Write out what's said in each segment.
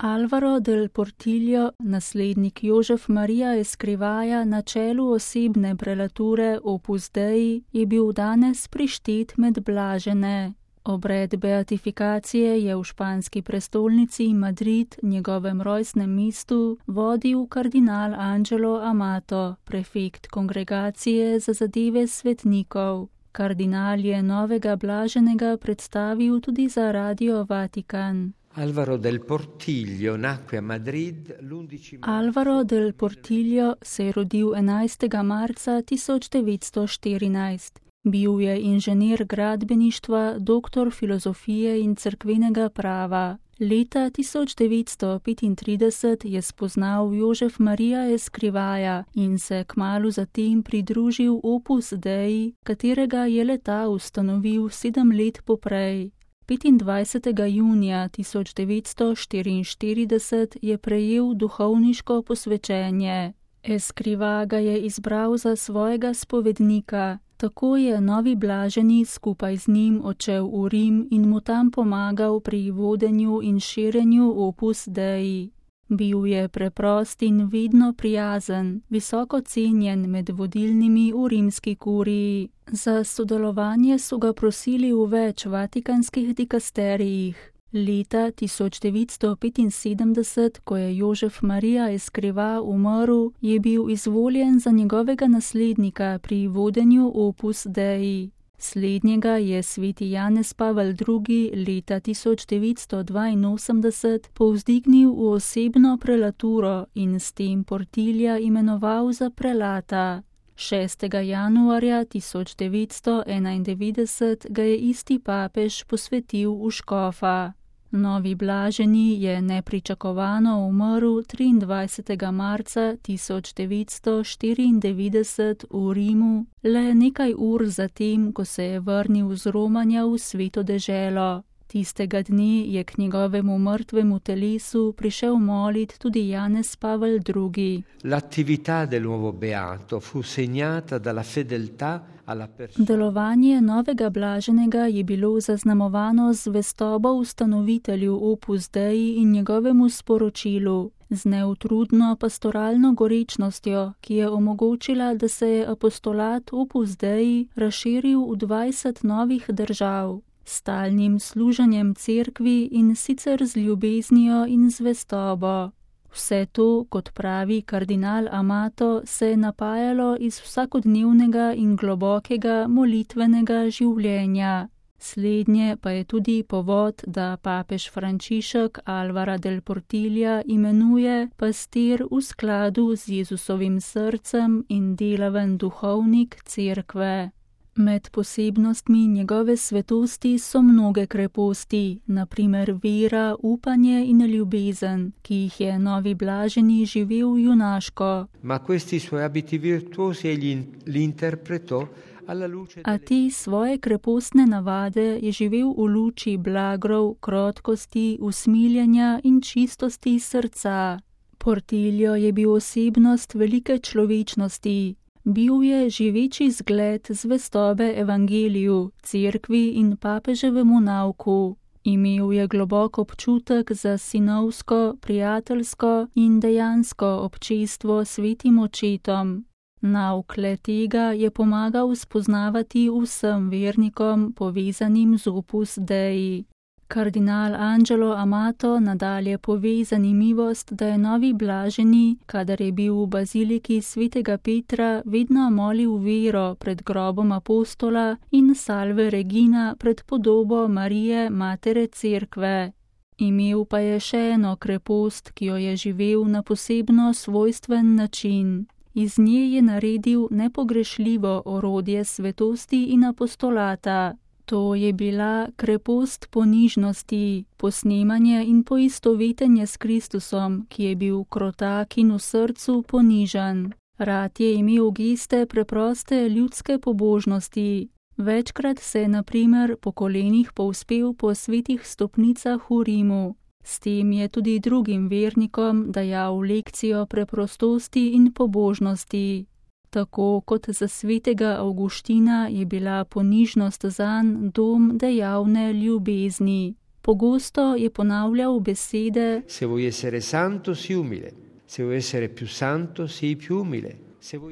Álvaro del Portillo, naslednik Jožef Marija Escrivaja na čelu osebne prelature Opus Dei, je bil danes prištet med blažene. Obred beatifikacije je v španski prestolnici Madrid, njegovem rojstnem mestu, vodil kardinal Angelo Amato, prefekt kongregacije za zadeve svetnikov. Kardinal je novega blaženega predstavil tudi za Radio Vatikan. Álvaro del Portillo nacque a Madrid l'11 Álvaro del Portillo se je rodil 11. marca 1914. Bil je inženir gradbeništva, doktor filozofije in cerkvenega prava. Leta 1935 je spoznal Jožef Marija Escrivaja in se kmalu zatem pridružil Opus Dei, katerega je le-ta ustanovil 7 let poprej. 25. junija 1944 je prejel duhovniško posvečenje. Escrivá ga je izbral za svojega spovednika. Tako je novi blaženi skupaj z njim odšel v Rim in mu tam pomagal pri vodenju in širjenju Opus Dei. Bil je preprost in vedno prijazen, visoko cenjen med vodilnimi v rimski kuriji. Za sodelovanje so ga prosili v več vatikanskih dikasterijih. Leta 1975, ko je Jožef Marija Escrivá umrl, je bil izvoljen za njegovega naslednika pri vodenju Opus Dei. Slednjega je sveti Janez Pavel II. Leta 1982 povzdignil v osebno prelaturo in s tem Portilja imenoval za prelata. 6. januarja 1991 ga je isti papež posvetil v škofa. Novi blaženi je nepričakovano umrl 23. marca 1994 v Rimu, le nekaj ur zatem, ko se je vrnil z romanja v Sveto deželo. Tistega dne je k njegovemu mrtvemu telesu prišel molit tudi Janez Pavel II. L'attività del nuovo beato fu segnata dalla fedeltà alla persona. Delovanje novega blaženega je bilo zaznamovano z zvestobo ustanovitelju Opus Dei in njegovemu sporočilu, z neutrudno pastoralno gorečnostjo, ki je omogočila, da se je apostolat Opus Dei razširil v 20 novih držav. Stalnim služenjem cerkvi in sicer z ljubeznijo in zvestobo. Vse to, kot pravi kardinal Amato, se je napajalo iz vsakodnevnega in globokega molitvenega življenja. Slednje pa je tudi povod, da papež Frančišek Álvara del Portilla imenuje pastir v skladu z Jezusovim srcem in delaven duhovnik cerkve. Med posebnostmi njegove svetosti so mnoge kreposti, na primer vera, upanje in ljubezen, ki jih je novi blaženi živel junaško. Ma questi suoi abiti virtuosi egli li interpretò alla luce A te svoje krepostne navade je živel v luči blagrov, krotkosti, usmiljenja in čistosti srca. Portillo je bil osebnost velike človečnosti. Bil je živeči zgled zvestobe evangeliju, cerkvi in papeževemu nauku. Imel je globok občutek za sinovsko, prijateljsko in dejansko občestvo svetim očetom. Nauk le tega je pomagal spoznavati vsem vernikom povezanim z Opus Dei. Kardinal Angelo Amato nadalje pove zanimivost, da je novi blaženi, kadar je bil v baziliki svetega Petra, vedno molil vero pred grobom apostola in salve regina pred podobo Marije, matere cerkve. Imel pa je še eno krepost, ki jo je živel na posebno svojstven način. Iz nje je naredil nepogrešljivo orodje svetosti in apostolata. To je bila krepost ponižnosti, posnemanje in poistovetenje s Kristusom, ki je bil krotak in v srcu ponižan. Rad je imel geste preproste ljudske pobožnosti. Večkrat se je na primer po kolenih povzpel po svetih stopnicah v Rimu. S tem je tudi drugim vernikom dajal lekcijo preprostosti in pobožnosti. Tako kot za svetega Avguština je bila ponižnost zanj dom dejavne ljubezni. Pogosto je ponavljal besede: Se vuoi essere santo, sii umile. Se vuoi essere più santo, sii più umile.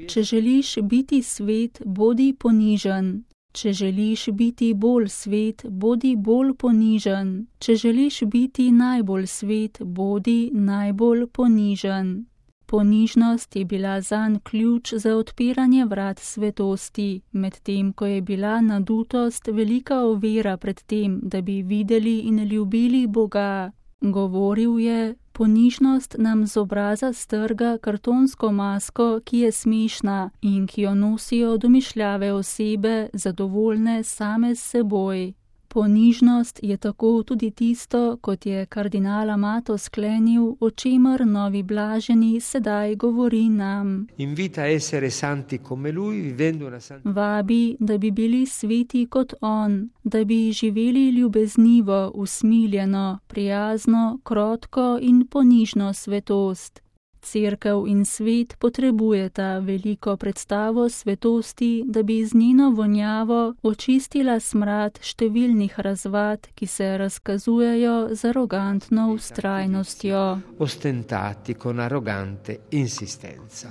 Če želiš biti svet, bodi ponižen. Če želiš biti bolj svet, bodi bolj ponižen. Če želiš biti najbolj svet, bodi najbolj ponižen. Ponižnost je bila zanj ključ za odpiranje vrat svetosti, medtem ko je bila nadutost velika ovira pred tem, da bi videli in ljubili Boga. Govoril je: ponižnost nam z obraza strga kartonsko masko, ki je smešna in ki jo nosijo domišljave osebe, zadovoljne same s seboj. Ponižnost je tako tudi tisto, kot je kardinal Amato sklenil, o čemer novi blaženi sedaj govori nam. Invita a essere santi come lui, vivendo una santa. Vabi, da bi bili sveti kot on, da bi živeli ljubeznivo, usmiljeno, prijazno, krotko in ponižno svetost. Cerkev in svet potrebujeta veliko predstavo svetosti, da bi z njeno vonjavo očistila smrad številnih razvad, ki se razkazujejo z arogantno vztrajnostjo. Ostentati con arrogante insistenza.